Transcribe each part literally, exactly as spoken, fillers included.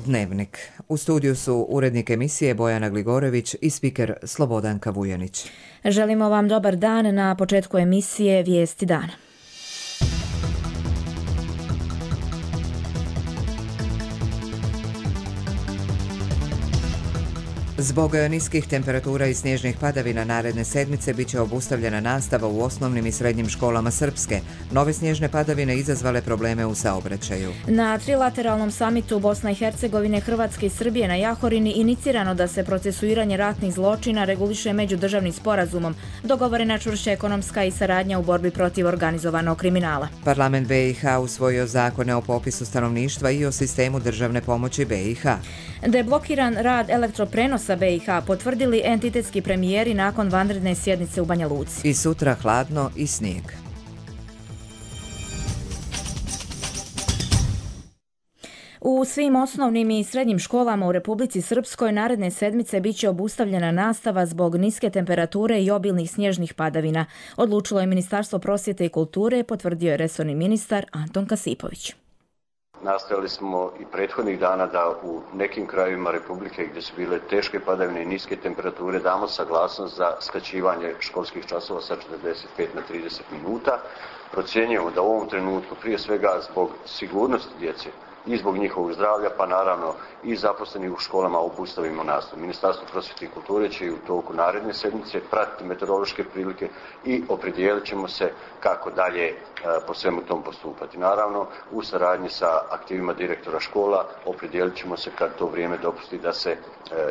Dnevnik. U studiju su urednik emisije Bojana Gligorević i spiker Slobodanka Vujanić. Želimo vam dobar dan na početku emisije Vijesti dana. Zbog niskih temperatura i snježnih padavina naredne sedmice bit će obustavljena nastava u osnovnim i srednjim školama Srpske. Nove snježne padavine izazvale probleme u saobraćaju. Na trilateralnom samitu Bosna i Hercegovine, Hrvatske i Srbije na Jahorini inicirano da se procesuiranje ratnih zločina reguliše međudržavnim sporazumom. Dogovorena čvršća ekonomska i saradnja u borbi protiv organizovanog kriminala. Parlament B i H usvojio zakone o popisu stanovništva i o sistemu državne pomoći B i H. Deblokiran rad elektroprenosa B i H potvrdili entitetski premijeri nakon vanredne sjednice u Banja Luci. I sutra hladno i snijeg. U svim osnovnim i srednjim školama u Republici Srpskoj naredne sedmice bit će obustavljena nastava zbog niske temperature i obilnih snježnih padavina. Odlučilo je Ministarstvo prosvjete i kulture, potvrdio je resorni ministar Anton Kasipović. Nastojali smo i prethodnih dana da u nekim krajevima Republike gdje su bile teške padavine i niske temperature damo saglasnost za skraćivanje školskih časova sa četrdeset pet na trideset minuta. Procjenjujemo da u ovom trenutku prije svega zbog sigurnosti djece i zbog njihovog zdravlja, pa naravno i zaposlenih u školama obustavimo nastavu. Ministarstvo prosvjete i kulture će i u toku naredne sedmice pratiti meteorološke prilike i opredijelit ćemo se kako dalje e, po svemu tom postupati. Naravno, u saradnji sa aktivima direktora škola opredijelit ćemo se kad to vrijeme dopusti da se e,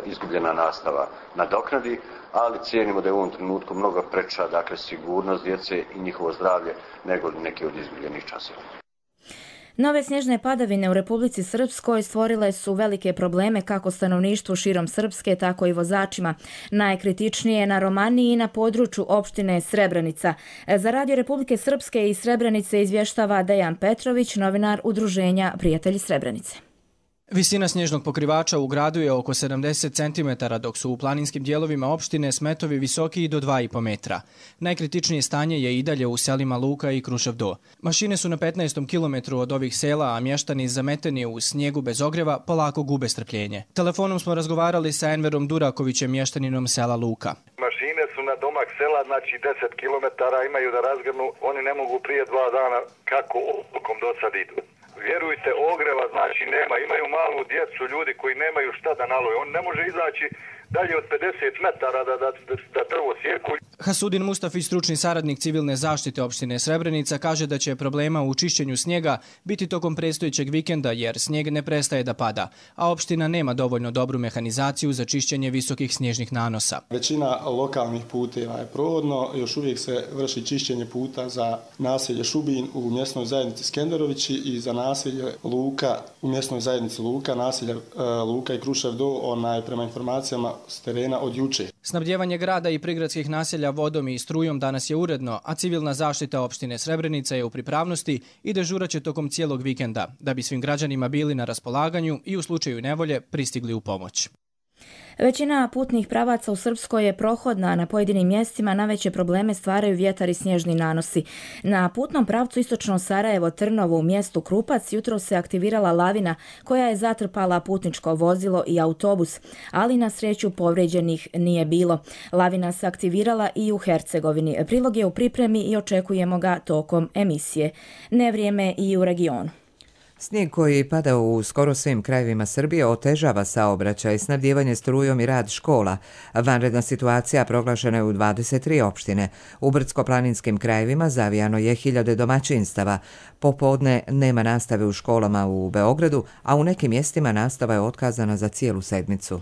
izgubljena nastava nadoknadi, ali cijenimo da je u ovom trenutku mnogo preča, dakle, sigurnost djece i njihovo zdravlje nego neke od izgubljenih časova. Nove snježne padavine u Republici Srpskoj stvorile su velike probleme kako stanovništvu širom Srpske, tako i vozačima. Najkritičnije je na Romaniji i na području opštine Srebrenica. Za Radio Republike Srpske iz Srebrenice izvještava Dejan Petrović, novinar udruženja Prijatelji Srebrenice. Visina snježnog pokrivača u gradu je oko sedamdeset centimetara, dok su u planinskim dijelovima opštine smetovi visoki i do dva i po metra. Najkritičnije stanje je i dalje u selima Luka i Krušev Do. Mašine su na petnaestom kilometru od ovih sela, a mještani zameteni u snijegu bez ogreva polako gube strpljenje. Telefonom smo razgovarali sa Enverom Durakovićem, mještaninom sela Luka. Mašine su na domak sela, znači deset kilometara imaju da razgrnu, oni ne mogu prije dva dana kako odlukom do sad idu. Vjerujte, ogreva znači nema, imaju malu djecu, ljudi koji nemaju šta da naloje, on ne može izaći dalje od pedeset metara da, da, da, da drvo sjeku. Hasudin Mustafi, stručni saradnik civilne zaštite opštine Srebrenica, kaže da će problema u čišćenju snijega biti tokom predstojećeg vikenda jer snijeg ne prestaje da pada, a opština nema dovoljno dobru mehanizaciju za čišćenje visokih snježnih nanosa. Većina lokalnih puteva je provodno, još uvijek se vrši čišćenje puta za naselje Šubin u mjesnoj zajednici Skenderovići i za naselje Luka u mjesnoj zajednici Luka, naselje e, Luka i Krušev Do, onaj prema informacijama s terena od juče. Snabdjevanje grada i prigradskih naselja vodom i strujom danas je uredno, a civilna zaštita opštine Srebrenica je u pripravnosti i dežuraće tokom cijelog vikenda, da bi svim građanima bili na raspolaganju i u slučaju nevolje pristigli u pomoć. Većina putnih pravaca u Srpskoj je prohodna, a na pojedinim mjestima najveće probleme stvaraju vjetar i snježni nanosi. Na putnom pravcu istočno Sarajevo-Trnovo u mjestu Krupac jutro se aktivirala lavina koja je zatrpala putničko vozilo i autobus, ali na sreću povrijeđenih nije bilo. Lavina se aktivirala i u Hercegovini. Prilog je u pripremi i očekujemo ga tokom emisije. Nevrijeme i u regionu. Snijeg koji pada u skoro svim krajevima Srbije otežava saobraćaj, snabdijevanje strujom i rad škola. Vanredna situacija proglašena je u dvadeset tri opštine. U brdsko-planinskim krajevima zavijano je hiljade domaćinstava. Popodne nema nastave u školama u Beogradu, a u nekim mjestima nastava je otkazana za cijelu sedmicu.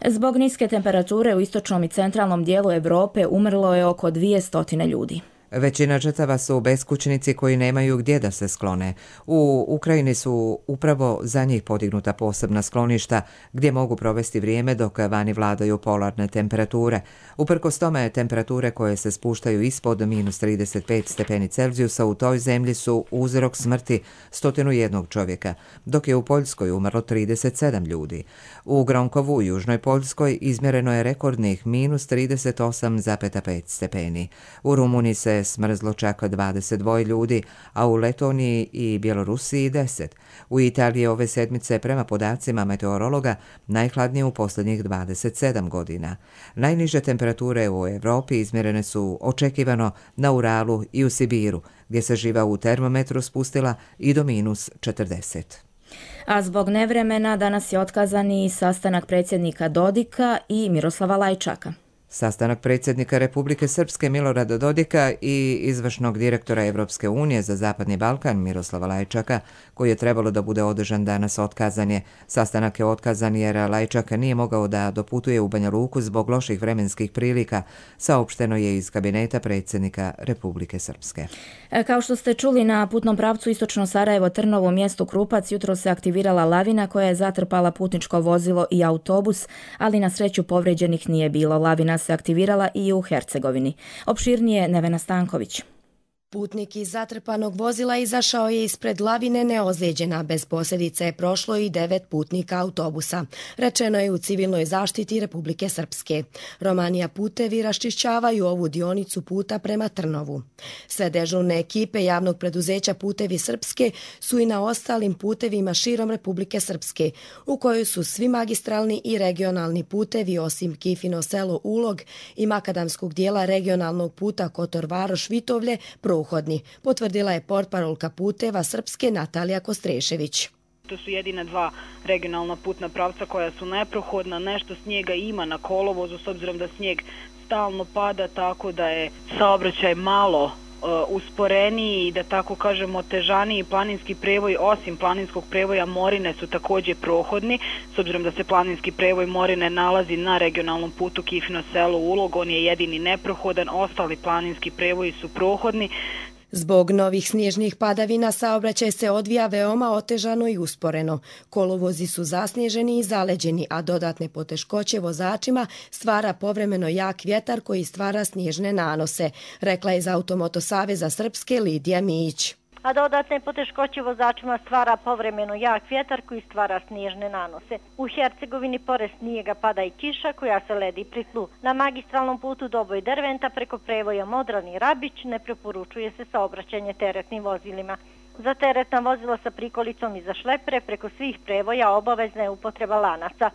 Zbog niske temperature u istočnom i centralnom dijelu Europe umrlo je oko dvjesto ljudi. Većina žrtava su beskućnici koji nemaju gdje da se sklone. U Ukrajini su upravo za njih podignuta posebna skloništa gdje mogu provesti vrijeme dok vani vladaju polarne temperature. Uprkos tome, temperature koje se spuštaju ispod minus trideset pet stepeni Celzijusa u toj zemlji su uzrok smrti sto jedan čovjeka, dok je u Poljskoj umrlo trideset sedam ljudi. U Gronkovu u južnoj Poljskoj izmjereno je rekordnih minus trideset osam zarez pet stepeni. U Rumuniji se se smrzlo čak dvadeset dva ljudi, a u Letoniji i Bjelorusiji deset. U Italiji ove sedmice, prema podacima meteorologa, najhladnije u posljednjih dvadeset sedam godina. Najniže temperature u Evropi izmjerene su očekivano na Uralu i u Sibiru, gdje se živa u termometru spustila i do minus četrdeset. A zbog nevremena danas je otkazan i sastanak predsjednika Dodika i Miroslava Lajčaka. Sastanak predsjednika Republike Srpske Milorada Dodika i izvršnog direktora Evropske unije za Zapadni Balkan Miroslava Lajčaka, koji je trebalo da bude održan danas, otkazan je. Sastanak je otkazan jer Lajčak nije mogao da doputuje u Banja Luku zbog loših vremenskih prilika, saopšteno je iz kabineta predsjednika Republike Srpske. Kao što ste čuli, na putnom pravcu istočno Sarajevo-Trnovo mjestu Krupac jutro se aktivirala lavina koja je zatrpala putničko vozilo i autobus, ali na sreću povrijeđenih nije bilo. Lavina se aktivirala i u Hercegovini. Opširnije Nevena Stanković. Putnik iz zatrpanog vozila izašao je ispred lavine neozlijeđena, bez posljedice je prošlo i devet putnika autobusa. Rečeno je u civilnoj zaštiti Republike Srpske. Romanija putevi raščišćavaju ovu dionicu puta prema Trnovu. Sve dežurne ekipe javnog preduzeća Putevi Srpske su i na ostalim putevima širom Republike Srpske, u kojoj su svi magistralni i regionalni putevi osim Kifino selo Ulog i makadamskog dijela regionalnog puta Kotor-Varoš-Vitovlje prohodni, potvrdila je portparolka Puteva Srpske Natalija Kostrešević. To su jedina dva regionalna putna pravca koja su neprohodna, nešto snijega ima na kolovozu s obzirom da snijeg stalno pada, tako da je saobraćaj malo uh, usporeniji i da tako kažemo otežaniji. Planinski prevoj osim planinskog prevoja Morine su također prohodni, s obzirom da se planinski prevoj Morine nalazi na regionalnom putu Kifino selo Ulog, on je jedini neprohodan, ostali planinski prevoji su prohodni. Zbog novih snježnih padavina saobraćaj se odvija veoma otežano i usporeno. Kolovozi su zasnježeni i zaleđeni, a dodatne poteškoće vozačima stvara povremeno jak vjetar koji stvara snježne nanose, rekla je iz Automoto Saveza Srpske Lidija Mijić. A dodatne poteškoće vozačima stvara povremeno jak vjetar koji stvara snježne nanose. U Hercegovini pored snijega pada i kiša koja se ledi pri tlu. Na magistralnom putu Doboj Derventa preko prevoja Modran i Rabić ne preporučuje se saobraćanje teretnim vozilima. Za teretna vozila sa prikolicom i za šlepere preko svih prevoja obavezna je upotreba lanaca.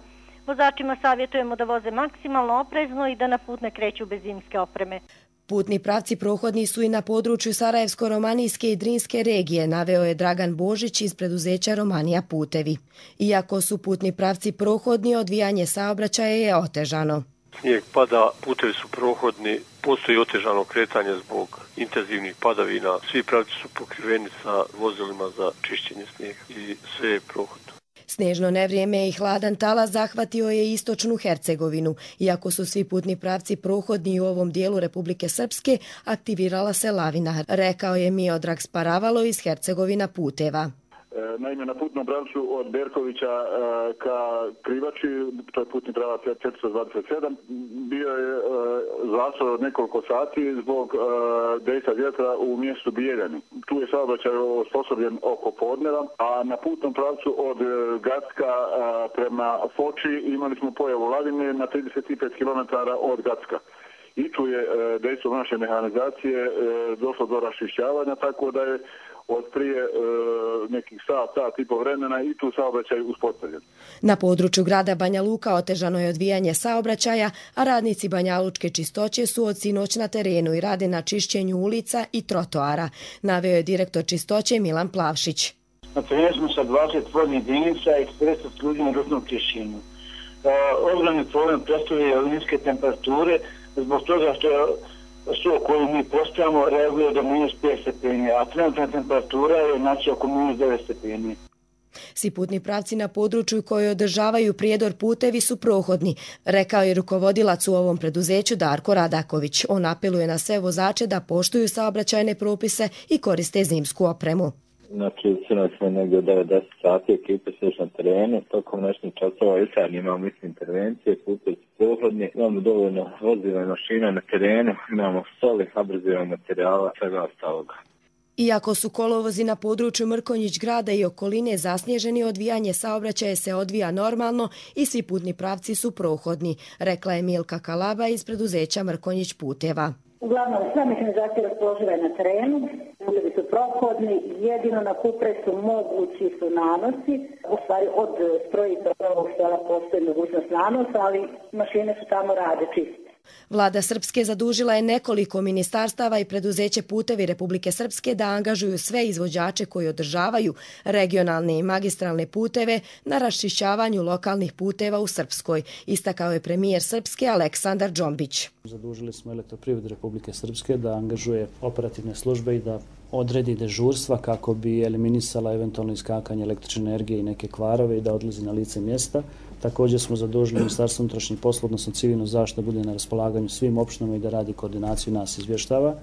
Vozačima savjetujemo da voze maksimalno oprezno i da na put ne kreću bez zimske opreme. Putni pravci prohodni su i na području Sarajevsko-Romanijske i Drinske regije, naveo je Dragan Božić iz preduzeća Romanija Putevi. Iako su putni pravci prohodni, odvijanje saobraćaja je otežano. Snijeg pada, putevi su prohodni, postoji otežano kretanje zbog intenzivnih padavina. Svi pravci su pokriveni sa vozilima za čišćenje snijega i sve je prohodno. Snežno nevrijeme i hladan talas zahvatio je istočnu Hercegovinu. Iako su svi putni pravci prohodni u ovom dijelu Republike Srpske, aktivirala se lavina, rekao je Miodrag Sparavalo iz Hercegovina Puteva. Naime, na putnom pravcu od Berkovića ka Krivači, to je putni pravac četiristo dvadeset sedam, bio je zastoj od nekoliko sati zbog dejstva vjetra u mjestu Bijeljani. Tu je saobraćaj osposobljen oko podneva, a na putnom pravcu od Gacka prema Foči imali smo pojavu lavine na trideset pet kilometara od Gacka. I tu je dejstvo naše mehanizacije došlo do raščišćavanja, tako da je od prije e, nekih sat, sat i po vremena i tu saobraćaj uspostavljen. Na području grada Banja Luka otežano je odvijanje saobraćaja, a radnici Banjalučke čistoće su od sinoć na terenu i rade na čišćenju ulica i trotoara, naveo je direktor čistoće Milan Plavšić. Na terenu smo sa dvadeset voznih jedinica i četrdeset ljudi na ručnom čišćenju. E, ogromni problem predstavljaju niske temperature zbog toga što je sto koju mi postavljamo reaguje do minus pet stepeni, a trenutna temperatura je znači oko minus devet stepeni. Svi putni pravci na području koji održavaju prijedor putevi su prohodni, rekao je rukovodilac u ovom preduzeću Darko Radaković. On apeluje na sve vozače da poštuju saobraćajne propise i koriste zimsku opremu. Znači, sinoć smo negdje od devet do deset sati, ekipe su još na terenu, tokom noćnih časova i sad imamo isto intervencije, putevi su prohodni, imamo dovoljno vozila i mašina na terenu, imamo soli, abrazivnog materijala, svega ostaloga. Iako su kolovozi na području Mrkonjić grada i okoline zasnježeni, odvijanje saobraćaja se odvija normalno i svi putni pravci su prohodni, rekla je Milka Kalaba iz preduzeća Mrkonjić Puteva. Uglavnom, sva mehanizacija raspoloživa je na terenu, putevi su prohodni, jedino na Kupresu mogući su nanosi. U stvari, od strojišta ovog sela postoji mogućnost nanosa, ali mašine su tamo rade čiste. Vlada Srpske zadužila je nekoliko ministarstava i preduzeće Putevi Republike Srpske da angažuju sve izvođače koji održavaju regionalne i magistralne puteve na raščišćavanju lokalnih puteva u Srpskoj, istakao je premijer Srpske Aleksandar Džombić. Zadužili smo Elektroprivredu Republike Srpske da angažuje operativne službe i da odredi dežurstva kako bi eliminisala eventualno iskakanje električne energije i neke kvarove i da odlazi na lice mjesta. Također smo zadužili Ministarstvo unutrašnjih poslova, odnosno civilnu zaštitu, da bude na raspolaganju svim opštinama i da radi koordinaciju, nas izvještava.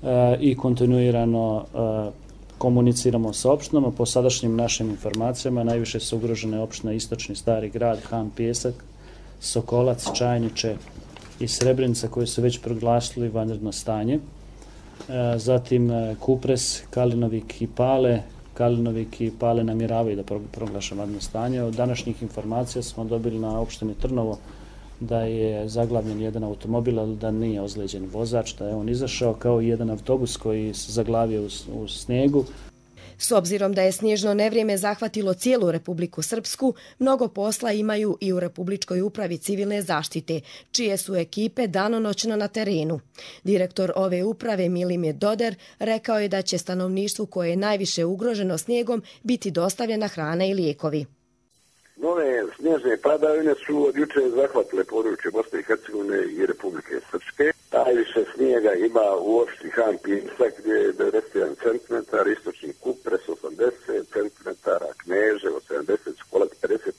E, I kontinuirano e, komuniciramo sa opštinama. Po sadašnjim našim informacijama najviše su ugrožene opštine Istočni Stari Grad, Han, Pjesak, Sokolac, Čajniče i Srebrenica koji su već proglasili vanredno stanje. E, zatim e, Kupres, Kalinovik i Pale. Kalinovik i Pale namjeravaju da proglaša vanredno stanje. Od današnjih informacija smo dobili na opštini Trnovo da je zaglavljen jedan automobil, ali da nije ozlijeđen vozač, da je on izašao, kao i jedan autobus koji se zaglavio u, u snijegu. S obzirom da je snježno nevrijeme zahvatilo cijelu Republiku Srpsku, mnogo posla imaju i u Republičkoj upravi civilne zaštite, čije su ekipe danonoćno na terenu. Direktor ove uprave Milimir Doder rekao je da će stanovništvu koje je najviše ugroženo snijegom biti dostavljena hrana i lijekovi. Nove snježne padavine su od juče zahvatile područje Bosne i Hercegovine i Republike Srpske. Najviše snijega ima u opštini Han, Pjesak gdje je devedeset jedan centimetar, istočni Kupres osamdeset centimetara, Kneževo sedamdeset, Skolac pedeset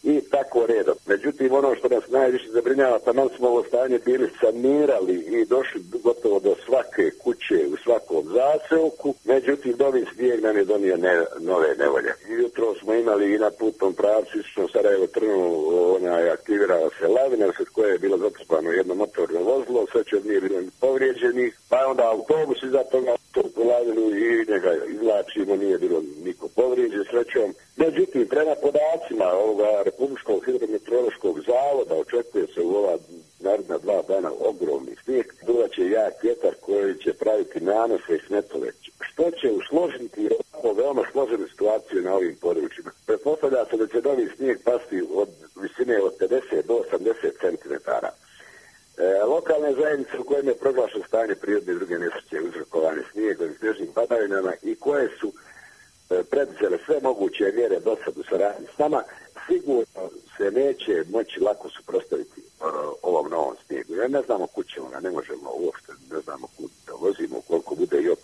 i tako redom. Međutim, ono što nas najviše zabrinjava, taman smo ovo stanje bili sanirali i došli gotovo do svake kuće u svakom zaseoku, međutim, novi snijeg nam je donio ne, nove nevolje. Jutro smo imali i na putnom pravcu istočno Sarajevo Trnovo, ona je aktivirala se lavina, sad koje je bilo zatrpano jedno motorno vozilo, sve će od nije bilo povrijeđenih, pa je onda autobus iza toga u lavinu i njega izvlačimo, nije bilo niko povrijeđen srećom. Međutim, prema podacima ovoga Republičkog hidrometeorološkog zavoda očekuje se u ova naredna dva dana ogromni snijeg, duvaće jak vjetar koji će praviti nanose i smetove, što će usložiti ovako veoma složenu situaciju na ovim područjima. Pretpostavlja se da će novi snijeg pasti od visine od pedeset do osamdeset centimetara. E, lokalne zajednice u kojima je proglašeno stanje prirodne i druge nesreće uzrokovane snijegom i snježnim padavinama i koje su e, preduzele sve moguće mjere do sad u saradnji s nama, sigurno se neće moći lako suprotstaviti ovom novom snijegu. Ja ne znamo kud ćemo ga, ne možemo uopšte, ne znamo kud da vozimo, koliko bude jak,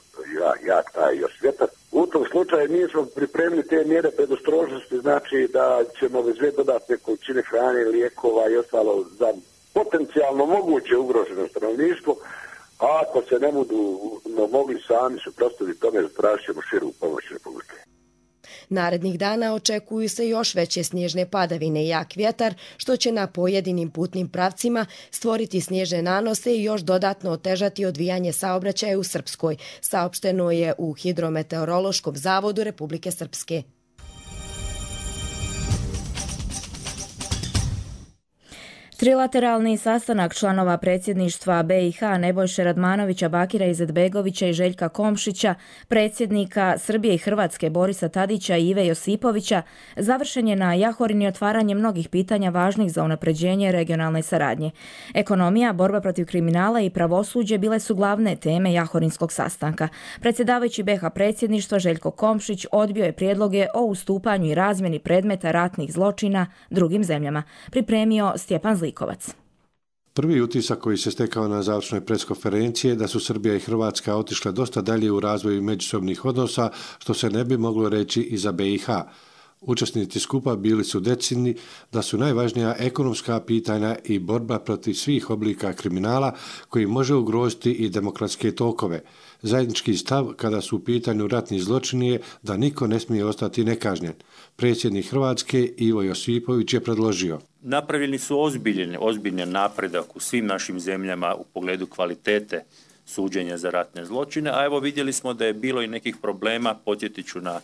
jak taj još vjetar. U tom slučaju mi smo pripremili te mjere predostrožnosti, znači da ćemo vezve dodatne količine hrane, lijekova i ostalo za potencijalno moguće ugroženo stanovništvo, a ako se ne budu no, mogli sami suprotstaviti tome, tražit ćemo širu pomoć Republike. Narednih dana očekuju se još veće snježne padavine i jak vjetar, što će na pojedinim putnim pravcima stvoriti snježne nanose i još dodatno otežati odvijanje saobraćaja u Srpskoj, saopšteno je u Hidrometeorološkom zavodu Republike Srpske. Trilateralni sastanak članova predsjedništva be i ha Nebojše Radmanovića, Bakira Izetbegovića i Željka Komšića, predsjednika Srbije i Hrvatske Borisa Tadića i Ive Josipovića završen je na Jahorini otvaranje mnogih pitanja važnih za unapređenje regionalne saradnje. Ekonomija, borba protiv kriminala i pravosuđe bile su glavne teme Jahorinskog sastanka. Predsjedavajući be ha predsjedništva Željko Komšić odbio je prijedloge o ustupanju i razmjeni predmeta ratnih zločina drugim zemljama. Pripremio Stjepan Zlikovac. Prvi utisak koji se stekao na završnoj preskonferenciji je da su Srbija i Hrvatska otišle dosta dalje u razvoju međusobnih odnosa, što se ne bi moglo reći i za be i ha. Učesnici skupa bili su decidni da su najvažnija ekonomska pitanja i borba protiv svih oblika kriminala koji može ugroziti i demokratske tokove. Zajednički stav kada su u pitanju ratni zločini je da niko ne smije ostati nekažnjen. Predsjednik Hrvatske Ivo Josipović je predložio: napravljeni su ozbiljni, ozbiljni napredak u svim našim zemljama u pogledu kvalitete suđenja za ratne zločine, a evo vidjeli smo da je bilo i nekih problema, podsjetit ću na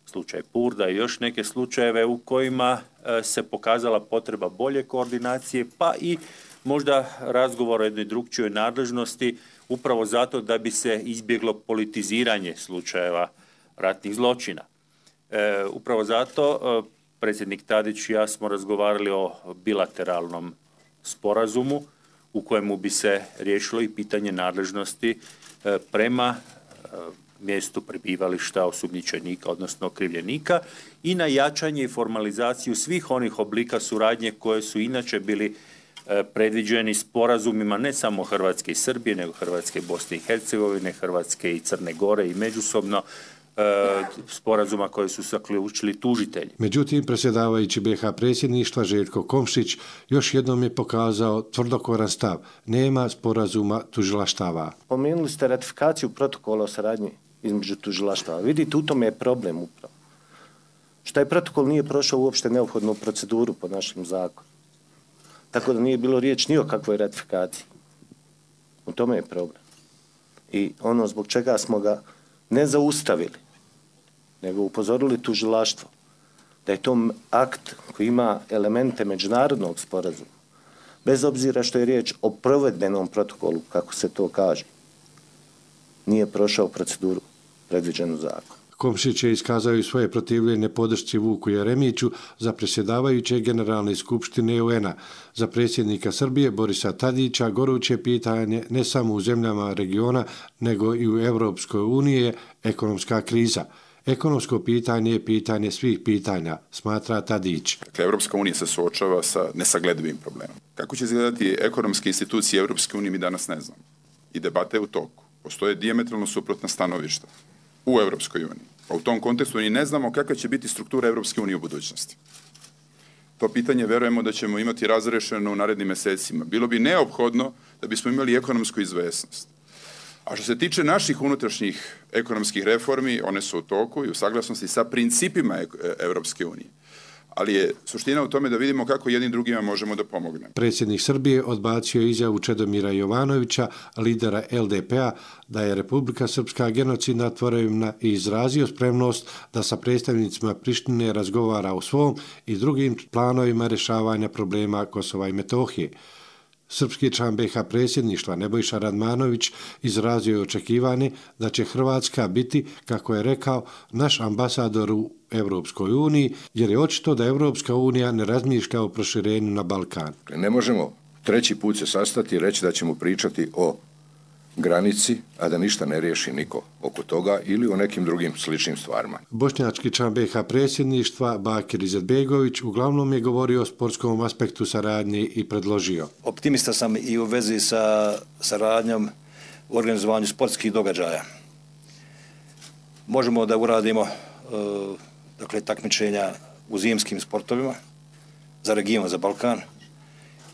slučaj Purda i još neke slučajeve u kojima se pokazala potreba bolje koordinacije, pa i možda razgovor o jednoj drukčijoj nadležnosti, upravo zato da bi se izbjeglo politiziranje slučajeva ratnih zločina. E, upravo zato e, predsjednik Tadić i ja smo razgovarali o bilateralnom sporazumu u kojemu bi se riješilo i pitanje nadležnosti e, prema e, mjestu prebivališta osumnjičenika, odnosno okrivljenika, i na jačanje i formalizaciju svih onih oblika suradnje koje su inače bili e, predviđeni sporazumima ne samo Hrvatske i Srbije, nego Hrvatske i Bosne i Hercegovine, Hrvatske i Crne Gore i međusobno sporazuma koje su zaključili tužitelji. Međutim, predsjedavajući B iH predsjedništva Željko Komšić još jednom je pokazao tvrdokoran stav. Nema sporazuma tužilaštava. Pomenuli ste ratifikaciju protokola o saradnji između tužilaštava. Vidite, u tome je problem upravo. Što je protokol nije prošao uopšte neophodnu proceduru po našem zakonu. Tako da nije bilo riječ ni o kakvoj ratifikaciji. U tome je problem. I ono zbog čega smo ga ne zaustavili, nego upozorili tužilaštvo da je to akt koji ima elemente međunarodnog sporazuma, bez obzira što je riječ o provedbenom protokolu, kako se to kaže, nije prošao proceduru predviđenu zakonu. Komšić je iskazao i svoje protivljenje podršci Vuku Jeremiću za predsjedavajuće Generalne skupštine U N-a. Za predsjednika Srbije Borisa Tadića goruće pitanje ne samo u zemljama regiona, nego i u Europskoj uniji je ekonomska kriza. Ekonomsko pitanje je pitanje svih pitanja, smatra Tadić. Dakle, Europska unija se suočava sa nesagledivim problemom. Kako će izgledati ekonomske institucije Europske unije, mi danas ne znamo. I debata je u toku. Postoje dijametralno suprotna stanovišta u Europskoj uniji. Pa u tom kontekstu ni ne znamo kakva će biti struktura Europske unije u budućnosti. To pitanje verujemo da ćemo imati razrešeno u narednim mesecima. Bilo bi neophodno da bismo imali ekonomsku izvesnost. A što se tiče naših unutrašnjih ekonomskih reformi, one su u toku i u saglasnosti sa principima Europske unije. Ali je suština u tome da vidimo kako jednim drugima možemo da pomognemo. Predsjednik Srbije odbacio izjavu Čedomira Jovanovića, lidera L D P-a, da je Republika Srpska genocidna tvorevina i izrazio spremnost da sa predstavnicima Prištine razgovara o svom i drugim planovima rješavanja problema Kosova i Metohije. Srpski član B iH predsjedništva Nebojša Radmanović izrazio je očekivanje da će Hrvatska biti, kako je rekao, naš ambasador u Europskoj uniji, jer je očito da Europska unija ne razmišlja o proširenju na Balkan. Ne možemo treći put se sastati i reći da ćemo pričati o granici, a da ništa ne riješi niko oko toga ili o nekim drugim sličnim stvarima. Bošnjački član B iH predsjedništva Bakir Izetbegović uglavnom je govorio o sportskom aspektu saradnje i predložio. Optimista sam i u vezi sa saradnjom u organizovanju sportskih događaja. Možemo da uradimo dakle, takmičenja u zimskim sportovima za region, za Balkan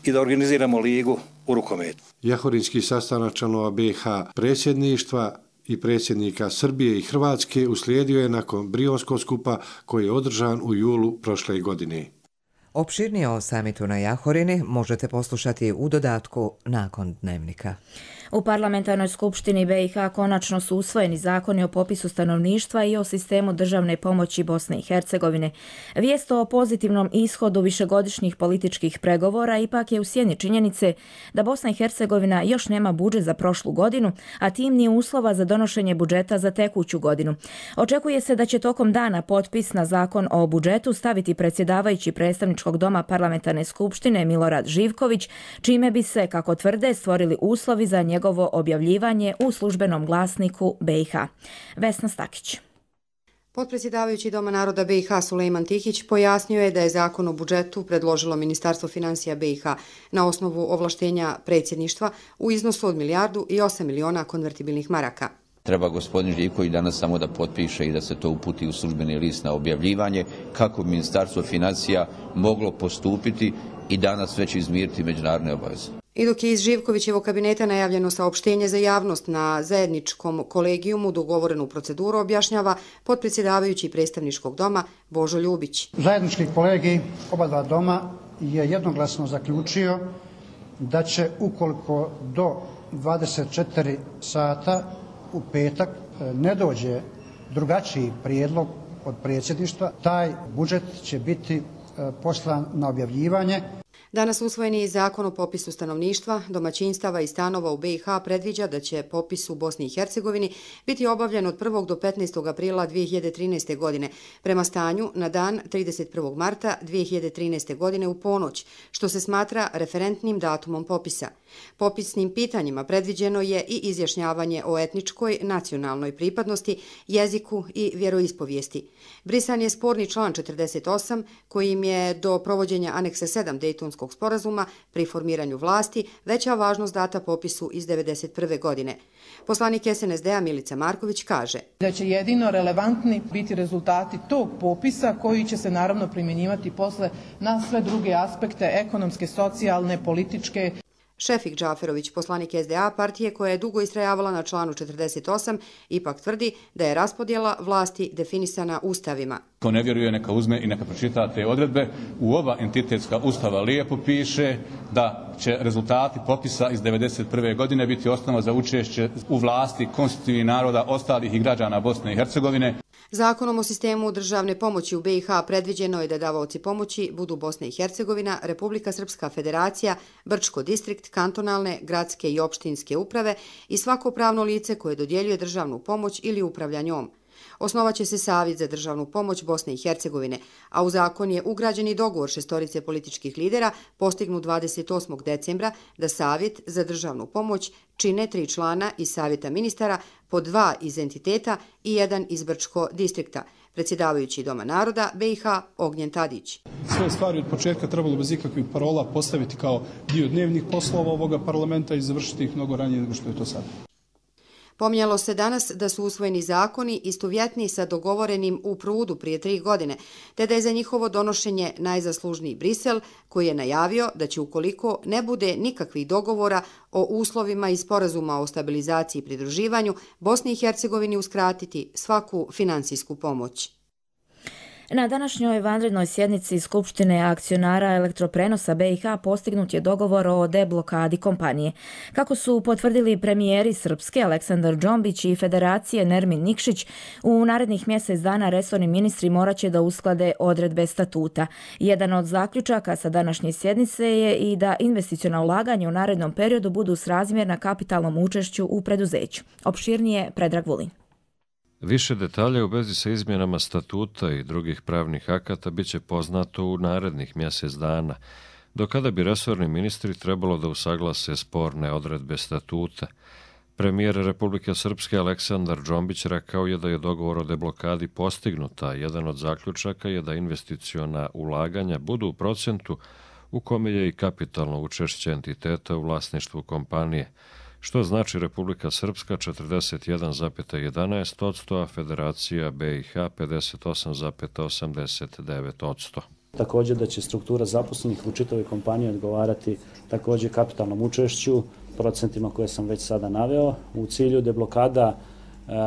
i da organiziramo ligu u rukometu. Jahorinski sastanak članova B iH predsjedništva i predsjednika Srbije i Hrvatske uslijedio je nakon Brionskog skupa koji je održan u julu prošle godine. Opširnije o samitu na Jahorini možete poslušati u dodatku nakon dnevnika. U parlamentarnoj skupštini B iH konačno su usvojeni zakoni o popisu stanovništva i o sistemu državne pomoći Bosne i Hercegovine. Vijest o pozitivnom ishodu višegodišnjih političkih pregovora ipak je u sjeni činjenice da Bosna i Hercegovina još nema budžet za prošlu godinu, a tim ni uslova za donošenje budžeta za tekuću godinu. Očekuje se da će tokom dana potpis na zakon o budžetu staviti predsjedavajući predstavničkog doma parlamentarne skupštine Milorad Živković, čime bi se, kako tvrde, stvorili uslovi za njegov njegovo objavljivanje u službenom glasniku B iH. Vesna Stakić. Potpredsjedavajući Doma naroda B iH Sulejman Tihić pojasnio je da je zakon o budžetu predložilo Ministarstvo financija B iH na osnovu ovlaštenja predsjedništva u iznosu od milijardu i osam miliona konvertibilnih maraka. Treba gospodin Živković danas samo da potpiše i da se to uputi u službeni list na objavljivanje kako bi Ministarstvo financija moglo postupiti i danas već izmiriti međunarodne obaveze. I dok je iz Živkovićevog kabineta najavljeno saopštenje za javnost na zajedničkom kolegijumu dogovorenu proceduru, objašnjava potpredsjedavajući predstavničkog doma Božo Ljubić. Zajednički kolegij oba dva doma je jednoglasno zaključio da će ukoliko do dvadeset četiri sata u petak ne dođe drugačiji prijedlog od predsjedništva, taj budžet će biti poslan na objavljivanje. Danas usvojeni zakon o popisu stanovništva, domaćinstava i stanova u B i H predviđa da će popis u Bosni i Hercegovini biti obavljen od prvog do petnaestog aprila dvije hiljade trinaeste. godine, prema stanju na dan trideset prvog marta dvije hiljade trinaeste. godine u ponoć, što se smatra referentnim datumom popisa. Popisnim pitanjima predviđeno je i izjašnjavanje o etničkoj, nacionalnoj pripadnosti, jeziku i vjeroispovijesti. Brisan je sporni član četrdeset osam, kojim je do provođenja aneksa sedam Dejtonskog sporazuma pri formiranju vlasti veća važnost data popisu iz devedeset prve. godine. Poslanik S N S D-a Milica Marković kaže da će jedino relevantni biti rezultati tog popisa koji će se naravno primjenjivati posle na sve druge aspekte ekonomske, socijalne, političke. Šefik Džaferović, poslanik S D A partije koja je dugo istrajavala na članu četrdeset osam, ipak tvrdi da je raspodjela vlasti definisana ustavima. Ko ne vjeruje neka uzme i neka pročita te odredbe. U oba entitetska ustava lijepo piše da će rezultati popisa iz devedeset prve. godine biti osnova za učešće u vlasti konstitutivnih naroda ostalih i građana Bosne i Hercegovine. Zakonom o sistemu državne pomoći u B i H predviđeno je da davaoci pomoći budu Bosna i Hercegovina, Republika Srpska Federacija, Brčko distrikt, kantonalne, gradske i opštinske uprave i svako pravno lice koje dodjeljuje državnu pomoć ili upravlja njom. Osnovaće se Savjet za državnu pomoć Bosne i Hercegovine, a u zakon je ugrađen i dogovor šestorice političkih lidera postignut dvadeset osmog decembra da Savjet za državnu pomoć čine tri člana iz Savjeta ministara, po dva iz entiteta i jedan iz Brčko distrikta. Predsjedavajući Doma naroda B i H Ognjen Tadić. Sve stvari od početka trebalo bez ikakvih parola postaviti kao dio dnevnih poslova ovoga parlamenta i završiti ih mnogo ranije nego što je to sada. Pominjalo se danas da su usvojeni zakoni istovjetni sa dogovorenim u Prudu prije tri godine, te da je za njihovo donošenje najzaslužniji Brisel, koji je najavio da će ukoliko ne bude nikakvih dogovora o uslovima i sporazuma o stabilizaciji i pridruživanju, Bosni i Hercegovini uskratiti svaku finansijsku pomoć. Na današnjoj vanrednoj sjednici Skupštine akcionara elektroprenosa B i H postignut je dogovor o deblokadi kompanije. Kako su potvrdili premijeri Srpske Aleksandar Džombić i Federacije Nermin Nikšić, u narednih mjesec dana resorni ministri morat će da usklade odredbe statuta. Jedan od zaključaka sa današnje sjednice je i da investiciona ulaganja u narednom periodu budu srazmjerna kapitalnom učešću u preduzeću. Opširnije Predrag Vulin. Više detalja u vezi sa izmjenama statuta i drugih pravnih akata bit će poznato u narednih mjesec dana, do kada bi resorni ministri trebalo da usaglase sporne odredbe statuta. Premijer Republike Srpske Aleksandar Džombić rekao je da je dogovor o deblokadi postignuta. Jedan od zaključaka je da investiciona ulaganja budu u procentu u kome je i kapitalno učešće entiteta u vlasništvu kompanije, što znači Republika Srpska četrdeset jedan zarez jedanaest posto, a Federacija B i H pedeset osam zarez osamdeset devet posto. Također da će struktura zaposlenih u čitavoj kompaniji odgovarati također kapitalnom učešću, procentima koje sam već sada naveo. U cilju deblokada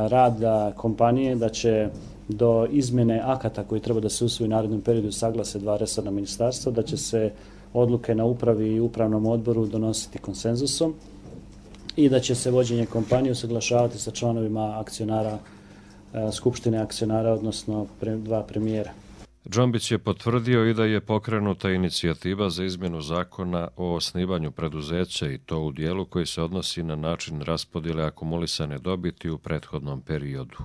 rada kompanije da će do izmjene akata koji treba da se usvoji u narednom periodu saglase dva resorna ministarstva, da će se odluke na upravi i upravnom odboru donositi konsenzusom i da će se vođenje kompanije usaglašavati sa članovima akcionara, skupštine akcionara, odnosno dva premijera. Džombić je potvrdio i da je pokrenuta inicijativa za izmjenu zakona o osnivanju preduzeća i to u dijelu koji se odnosi na način raspodjele akumulisane dobiti u prethodnom periodu.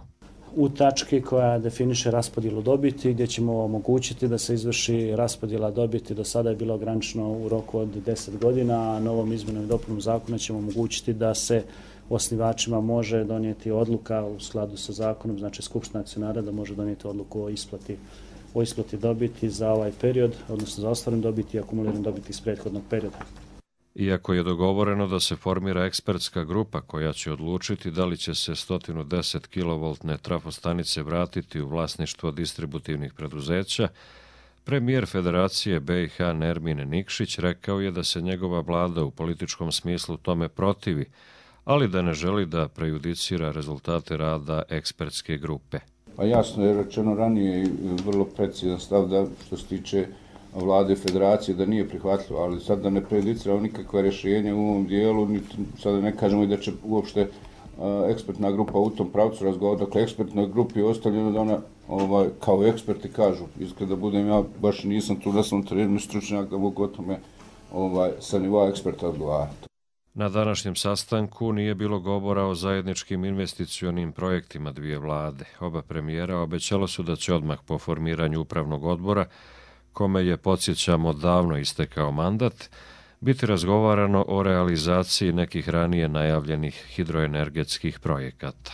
U tački koja definiše raspodjelu dobiti, gdje ćemo omogućiti da se izvrši raspodjela dobiti. Do sada je bilo ograničeno u roku od deset godina, a novom izmjenom i dopunom zakona ćemo omogućiti da se osnivačima može donijeti odluka u skladu sa zakonom, znači skupština akcionara da može donijeti odluku o isplati, o isplati dobiti za ovaj period, odnosno za ostvarenu dobiti i akumuliranu dobiti iz prethodnog perioda. Iako je dogovoreno da se formira ekspertska grupa koja će odlučiti da li će se sto deset kilovoltne trafostanice vratiti u vlasništvo distributivnih preduzeća, premijer Federacije B i H Nermin Nikšić rekao je da se njegova vlada u političkom smislu tome protivi, ali da ne želi da prejudicira rezultate rada ekspertske grupe. Pa jasno je rečeno ranije i vrlo precizan stav da što se tiče vlade Federacije da nije prihvatljivo, ali sad da ne prejudiciramo nikakva rješenja u ovom dijelu, sada ne kažemo i da će uopšte uh, ekspertna grupa u tom pravcu razgovarati. Dakle, ekspertnoj grupi je ostavljeno da ona ovaj, kao eksperti kažu, iskreno da budem ja, baš nisam tu da sam trenerni stručnjak da mogu o tome ovaj, sa nivoa eksperta odgovarati. Na današnjem sastanku nije bilo govora o zajedničkim investicionim projektima dvije vlade. Oba premijera obećala su da će odmah po formiranju upravnog odbora, kome je, podsjećamo, davno istekao mandat, biti razgovarano o realizaciji nekih ranije najavljenih hidroenergetskih projekata.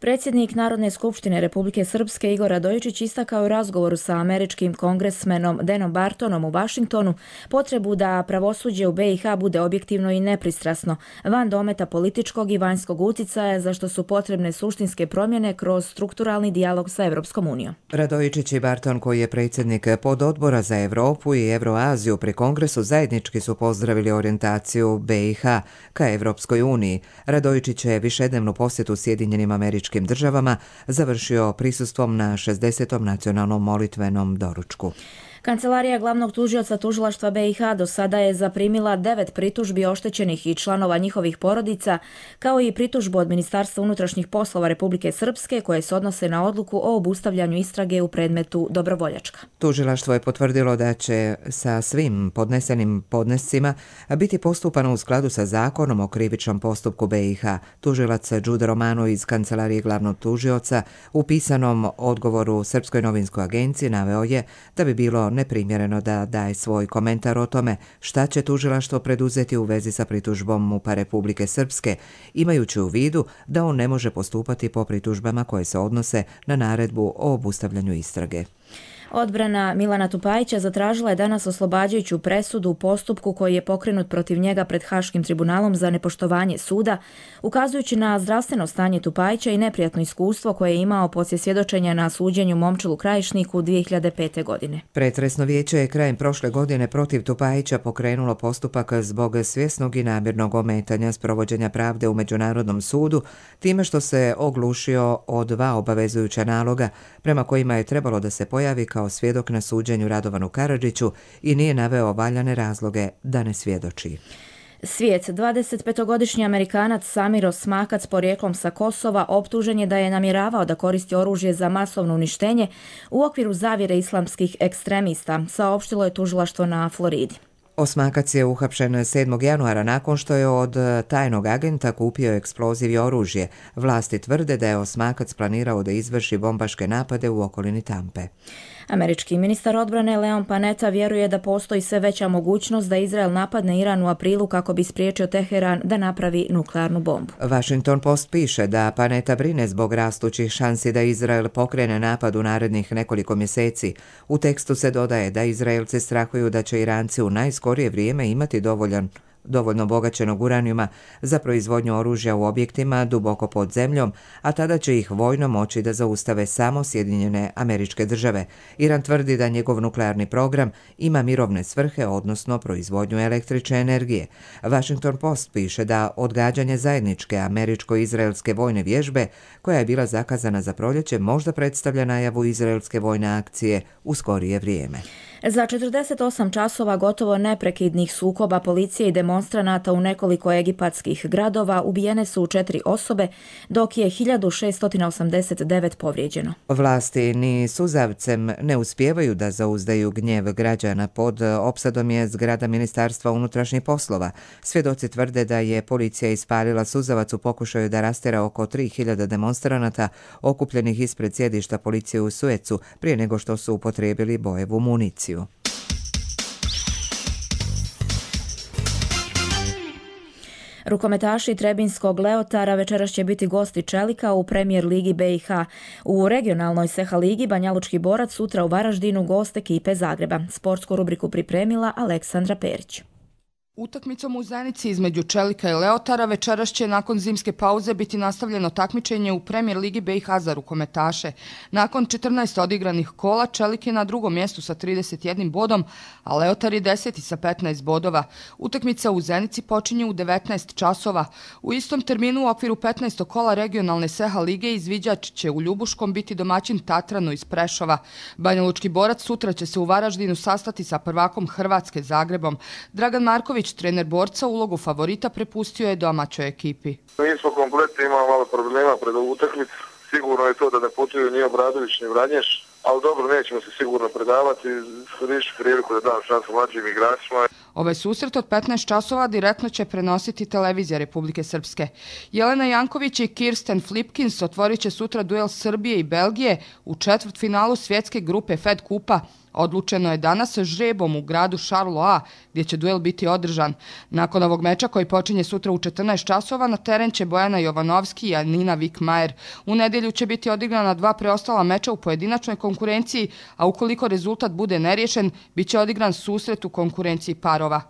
Predsjednik Narodne skupštine Republike Srpske Igor Radojičić istakao u razgovoru sa američkim kongresmenom Denom Bartonom u Vašingtonu potrebu da pravosuđe u be i ha bude objektivno i nepristrasno, van dometa političkog i vanjskog uticaja, za što su potrebne suštinske promjene kroz strukturalni dijalog sa Evropskom unijom. Radojičić i Barton, koji je predsjednik pododbora za Evropu i Evroaziju pri Kongresu, zajednički su pozdravili orijentaciju be i ha ka Evropskoj uniji. Radojičić je višednevnu posjetu Sjedinjenim Američkim državama završio prisustvom na šezdesetom nacionalnom molitvenom doručku. Kancelarija glavnog tužioca tužilaštva be i ha do sada je zaprimila devet pritužbi oštećenih i članova njihovih porodica, kao i pritužbu od Ministarstva unutrašnjih poslova Republike Srpske koje se odnose na odluku o obustavljanju istrage u predmetu Dobrovoljačka. Tužilaštvo je potvrdilo da će sa svim podnesenim podnescima biti postupano u skladu sa zakonom o krivičnom postupku be i ha. Tužilac Đude Romano iz Kancelarije glavnog tužioca u pisanom odgovoru Srpskoj novinskoj agenciji naveo je da bi bilo neprimjereno da daje svoj komentar o tome šta će tužilaštvo preduzeti u vezi sa pritužbom MUP-a Republike Srpske, imajući u vidu da on ne može postupati po pritužbama koje se odnose na naredbu o obustavljanju istrage. Odbrana Milana Tupajića zatražila je danas oslobađajuću presudu u postupku koji je pokrenut protiv njega pred Haškim tribunalom za nepoštovanje suda, ukazujući na zdravstveno stanje Tupajića i neprijatno iskustvo koje je imao poslije svjedočenja na suđenju Momčilu Krajišniku dvije hiljade pete. godine. Pretresno vijeće je krajem prošle godine protiv Tupajića pokrenulo postupak zbog svjesnog i namjernog ometanja sprovođenja pravde u Međunarodnom sudu, time što se oglušio o dva obavezujuća naloga prema kojima je trebalo da se pojavi kao svjedok na suđenju Radovanu Karadžiću i nije naveo valjane razloge da ne svjedoči. Svijet, dvadesetpetogodišnji Amerikanac Samir Osmakac porijeklom sa Kosova optužen je da je namjeravao da koristi oružje za masovno uništenje u okviru zavjere islamskih ekstremista, saopštilo je tužilaštvo na Floridi. Osmakac je uhapšen sedmog januara nakon što je od tajnog agenta kupio eksploziv i oružje. Vlasti tvrde da je Osmakac planirao da izvrši bombaške napade u okolini Tampe. Američki ministar odbrane Leon Panetta vjeruje da postoji sve veća mogućnost da Izrael napadne Iran u aprilu kako bi spriječio Teheran da napravi nuklearnu bombu. Washington Post piše da Panetta brine zbog rastućih šansi da Izrael pokrene napad u narednih nekoliko mjeseci. U tekstu se dodaje da Izraelci strahuju da će Iranci u najskorije vrijeme imati dovoljan dovoljno bogaćenog uranijuma za proizvodnju oružja u objektima duboko pod zemljom, a tada će ih vojno moći da zaustave samo Sjedinjene Američke Države. Iran tvrdi da njegov nuklearni program ima mirovne svrhe, odnosno proizvodnju električne energije. Washington Post piše da odgađanje zajedničke američko-izraelske vojne vježbe, koja je bila zakazana za proljeće, možda predstavlja najavu izraelske vojne akcije u skorije vrijeme. Za četrdeset osam časova gotovo neprekidnih sukoba policije i demonstranata u nekoliko egipatskih gradova ubijene su četiri osobe, dok je hiljadu šesto osamdeset devet povrijeđeno. Vlasti ni suzavcem ne uspijevaju da zauzdaju gnjev građana. Pod opsadom je zgrada Ministarstva unutrašnjih poslova. Svjedoci tvrde da je policija ispalila suzavac u pokušaju da rastera oko tri hiljade demonstranata okupljenih ispred sjedišta policije u Suecu prije nego što su upotrijebili bojevu municiju. Rukometaši Trebinskog Leotara večeras će biti gosti Čelika u Premier ligi be i ha. U regionalnoj Seha ligi Banjalučki Borac sutra u Varaždinu gost ekipe Zagreba. Sportsku rubriku pripremila Aleksandra Perić. Utakmicom u Zenici između Čelika i Leotara večeras će nakon zimske pauze biti nastavljeno takmičenje u Premier ligi be i ha za rukometaše. Nakon četrnaest odigranih kola Čelik je na drugom mjestu sa trideset jednim bodom, a Leotar je deseti sa petnaest bodova. Utakmica u Zenici počinje u devetnaest časova. U istom terminu u okviru petnaestog kola regionalne Seha lige izviđač će u Ljubuškom biti domaćin Tatranu iz Prešova. Banjalučki Borac sutra će se u Varaždinu sastati sa prvakom Hrvatske Zagrebom. Dragan Marković, trener Borca, ulogu favorita prepustio je domaćoj ekipi. Mi smo kompletni, imamo malo problema pred ovu utakmicu. Sigurno je to da ne putuju ni Obradović ni Vranješ. ali dobro, nećemo se sigurno predavati, riješi priliku da dam šansu mlađim igračima. Ovaj susret od petnaest časova direktno će prenositi televizija Republike Srpske. Jelena Janković i Kirsten Flipkins otvorit će sutra duel Srbije i Belgije u četvrtfinalu svjetske grupe Fed Kupa. Odlučeno je danas žrebom u gradu Charleroi, gdje će duel biti održan. Nakon ovog meča koji počinje sutra u četrnaest časova, na teren će Bojana Jovanovski i Anina Vikmajer. U nedjelju će biti odigrana dva preostala meča u pojedinačnoj konkurenciji, a ukoliko rezultat bude neriješen, bit će odigran susret u konkurenciji parova.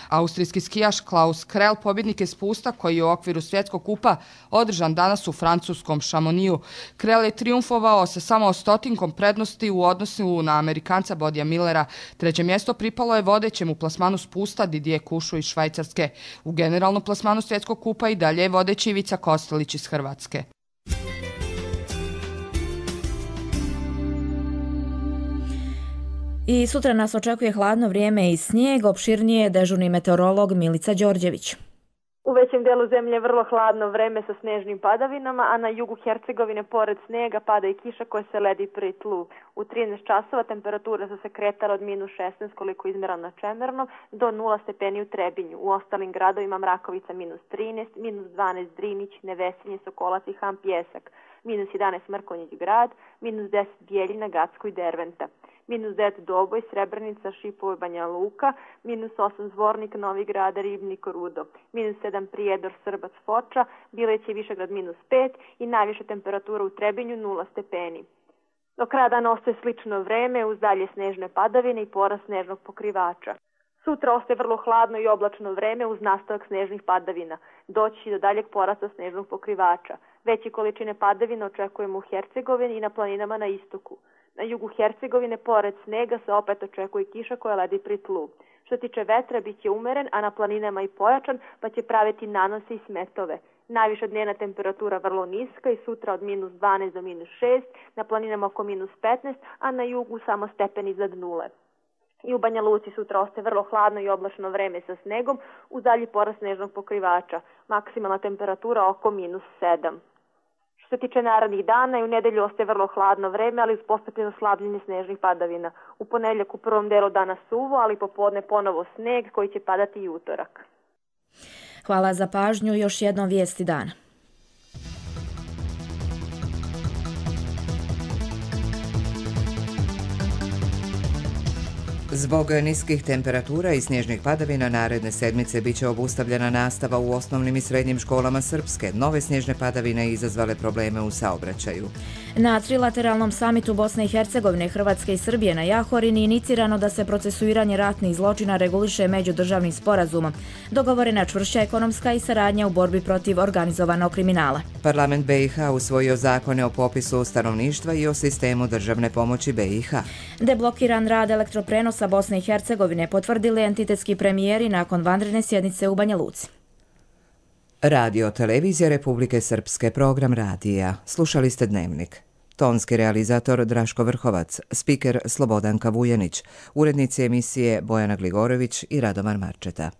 Austrijski skijaš Klaus Krell pobjednik je spusta koji je u okviru svjetskog kupa održan danas u francuskom Chamonixu. Krell je triumfovao sa samo stotinkom prednosti u odnosu na Amerikanca Bodija Millera. Treće mjesto pripalo je vodećem u plasmanu spusta Didier Kušu iz Švajcarske. U generalnom plasmanu svjetskog kupa i dalje je vodeći Ivica Kostelić iz Hrvatske. I sutra nas očekuje hladno vrijeme i snijeg, opširnije dežurni meteorolog Milica Đorđević. U većem dijelu zemlje vrlo hladno vreme sa snežnim padavinama, a na jugu Hercegovine pored snijega pada i kiša koja se ledi pri tlu. U trinaest časova temperature su se kretale od minus šesnaest koliko izmjerano na Čemernom do nula stepeni u Trebinju. U ostalim gradovima Mrakovica minus trinaest, minus dvanaest Drinić, Nevesinje, Sokolac i Ham Pjesak, minus jedanaest Mrkonjić grad, minus deset Bijeljina, Gacko i Derventa. Minus devet Doboj, Srebrenica, Šipovo i Banja Luka, minus osam Zvornik, Novi Grad, Ribnik, Rudo, minus sedam Prijedor, Srbac, Foča, Bileć i Višegrad minus pet i najviša temperatura u Trebinju nula stepeni. Do kraja dana ostaje slično vreme uz dalje snežne padavine i porast snežnog pokrivača. Sutra ostaje vrlo hladno i oblačno vreme uz nastavak snežnih padavina. Doći do daljeg porasta snežnog pokrivača. Veće količine padavina očekujemo u Hercegovini i na planinama na istoku. Na jugu Hercegovine pored snega se opet očekuje kiša koja ledi pri tlu. Što tiče vetra, bit će umeren, a na planinama i pojačan, pa će praviti nanose i smetove. Najviša dnevna temperatura vrlo niska i sutra od minus dvanaest do minus šest, na planinama oko minus petnaest, a na jugu samo stepen iznad nule. I u Banja Luci sutra ostaje vrlo hladno i oblačno vreme sa snegom, uz dalji porast snežnog pokrivača. Maksimalna temperatura oko minus sedam. Što se tiče narednih dana i u nedelju ostaje vrlo hladno vreme, ali uz postepeno slabljenje snežnih padavina. U ponedjeljak u prvom delu dana suvo, ali popodne ponovo sneg koji će padati i utorak. Hvala za pažnju, još jednom vijesti dana. Zbog niskih temperatura i snježnih padavina naredne sedmice bit će obustavljena nastava u osnovnim i srednjim školama Srpske. Nove snježne padavine izazvale probleme u saobraćaju. Na trilateralnom samitu Bosne i Hercegovine, Hrvatske i Srbije na Jahorini inicirano da se procesuiranje ratnih zločina reguliše međudržavnim sporazumom. Dogovorena čvršća ekonomska i saradnja u borbi protiv organizovanog kriminala. Parlament B i H usvojio zakone o popisu stanovništva i o sistemu državne pomoći B i H. Deblokiran rad elektroprenosa Bosne i Hercegovine potvrdili entitetski premijeri nakon vanredne sjednice u Banja Luci. Radio Televizija Republike Srpske, program radija. Slušali ste Dnevnik. Tonski realizator Draško Vrhovac, spiker Slobodanka Vujanić, urednici emisije Bojana Gligorović i Radomar Marčeta.